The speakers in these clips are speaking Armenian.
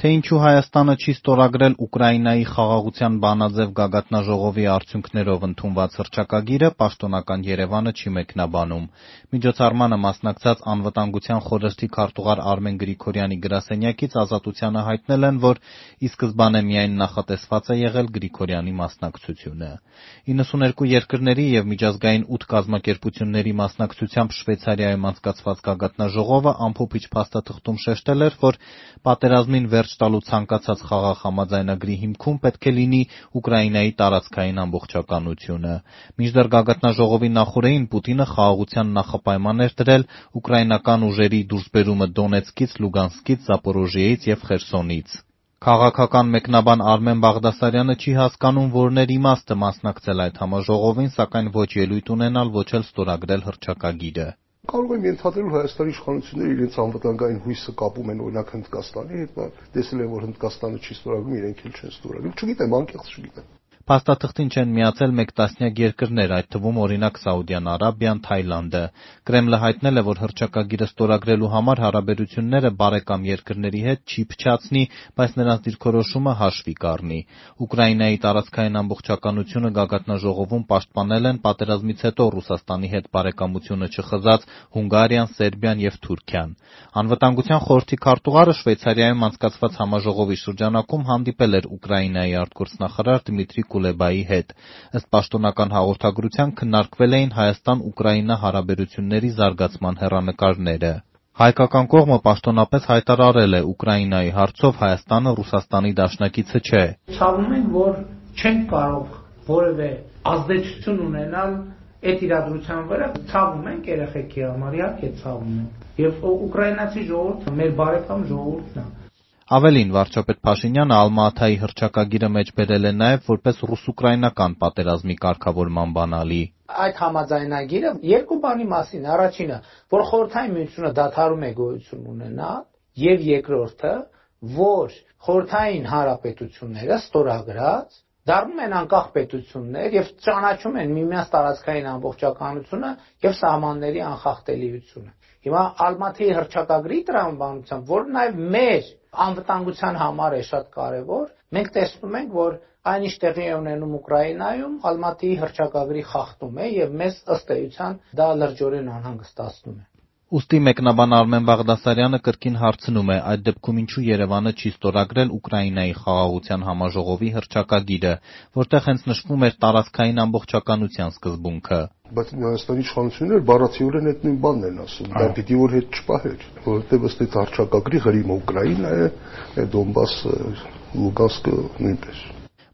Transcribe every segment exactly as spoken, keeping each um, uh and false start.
Թե ինչու Հայաստանը չի ստորագրել Ուկրաինայի խաղաղության բանաձև գագաթնաժողովի արդյունքներով ընդունված հռչակագիրը, պաշտոնական Երևանը չի մեկնաբանում։ Միջոցառմանը մասնակցած Անվտանգության խորհրդի քարտուղար Արմեն Գրիգորյանի գրասենյակից Ազատությանը հայտնել են, որ ի սկզբանե միայն նախատեսված է եղել Գրիգորյանի մասնակցությունը։ իննսուններկու երկրների և միջազգային ութ կազմակերպությունների մասնակցությամբ Շվեյցարիայում անցկացված գագաթնաժողովը ամփոփիչ փաստաթղթում շեշտել էր, որ պատերազմին վերջ տալու ցանկացած խաղաղ համաձայնագրի հիմքում պետք է լինի Ուկրաինայի տարածքային ամբողջականությունը։ Մինչդեռ գագաթնաժողովի նախօրեին Պուտինը խաղաղության նախապայման էր դրել ուկրաինական ուժերի դուրսբերումը Դոնեցկից, Լուգանսկից, Զապորոժիեից և Խերսոնից։ Քաղաքական մեկնաբան Արմեն Բաղդասարյանը չի հասկանում, որն էր իմաստը մասնակցել այդ համաժողովին, սակայն ոչ ելույթ ունենալ, ոչ էլ ստորագրել հռչակագիրը։ Կարող եմ ենթադրել, որ Հայաստանի իշխանությունները իրենց անվտանգային հույսը կապում են օրինակ Հնդկաստանի հետ, տեսել են, որ Հնդկաստանը չի ստորագրում, իրենք էլ չեն ստորագրում։ Չգիտեմ, անկեղծ չգիտեմ։ Փաստաթղթին չեն միացել մեկ տասնյակ երկրներ, այդ թվում օրինակ Սաուդյան Արաբիան, Թայլանդը։ Կրեմլը հայտնել է, որ հռչակագիրը ստորագրելու համար հարաբերությունները բարեկամ երկրների հետ չի փչացնի, բայց նրանց դիրքորոշումը հաշվի կառնի։ Ուկրաինայի տարածքային ամբողջականությունը գագաթնաժողովում պաշտպանել են պատերազմից հետո Ռուսաստանի հետ բարեկամությունը չխզած Հունգարիան, Սերբիան և Թուրքիան։ Անվտանգության խորհրդի քարտուղարը Շվեյցարիայում անցկացված համաժողովի շրջանակում հանդիպել էր Ուկրաինայի արտգործնախարար Դմիտրի Կուլեբայի հետ։ Ըստ պաշտոնական հաղորդագրության քննարկվել էին Հայաստան-Ուկրաինա հարաբերությունների զարգացման հեռանկարները։ Հայկական կողմը պաշտոնապես հայտարարել է Ուկրաինայի հարցով Հայաստանը Ռուսաստանի դաշնակիցը չէ։ Ցավում ենք, որ չենք կարող որևէ ազդեցություն ունենալ այդ իրադրության վրա, ցավում ենք երեխեքի համար, իհարկե ցավում ենք։ Եվ ուկրաինացի ժողովուրդը մեր բարեկամ ժողովուրդն է։ Ավելին, վարչապետ Փաշինյանը Ալմա-Աթայի հռչակագիրը մեջ բերել է նաև որպես ռուս-ուկրաինական պատերազմի կարգավորման բանալի։ Այդ համաձայնագիրը երկու բանի մասին։ Առաջինը, որ Խորհրդային Միությունը դադարում է գոյություն ունենալ, եւ երկրորդը, որ Խորհրդային Հանրապետությունները ստորագրած դառնում են անկախ պետություններ եւ ճանաչում են միմյանց տարածքային ամբողջականությունը եւ սահմանների անխախտելիությունը։ Հիմա Ալմաթայի հռչակագրի տրամաբանությամբ, որ նաեւ մեր անվտանգության համար է շատ կարեւոր, մենք տեսնում ենք, որ այն ինչ տեղի է ունենում Ուկրաինայում, Ալմաթայի հռչակագրի խախտում է եւ մեզ ըստ էության դա լրջորեն անհանգստացնում է։ Ուստի մեկնաբան Արմեն Բաղդասարյանը կրկին հարցնում է, այդ դեպքում ինչու Երևանը չի ստորագրել Ուկրաինայի խաղաղության համաժողովի հռչակագիրը, որտեղ հենց նշվում էր տարածքային ամբողջականության սկզբունքը։ Բայց Հայաստանի իշխանությունները բառացիորեն այդ նույն բանն են ասում, դա պիտի որ հետ չպահեր, որովհետև ըստ այդ հռչակագրի Ղրիմը Ուկրաինա է, Դոնբասը, Լուգանսկը նույնպես։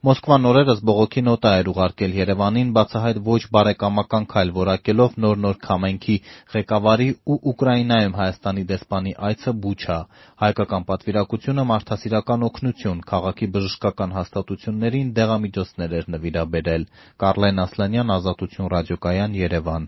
Մոսկվան օրերս բողոքի նոտա էր ուղարկել Երևանին, բացահայտ ոչ բարեկամական քայլ որակելով նոր-նոր քամենքի ղեկավարի ու Ուկրաինայում Հայաստանի դեսպանի այցը Բուչա։ Հայկական պատվիրակությունը մարդասիրական օգնություն, քաղաքի բժշկական հաստատություններին դեղամիջոցներ էր նվիրաբերել։ Կարլեն Ասլանյան, Ազատություն ռադիոկայան, Երևան։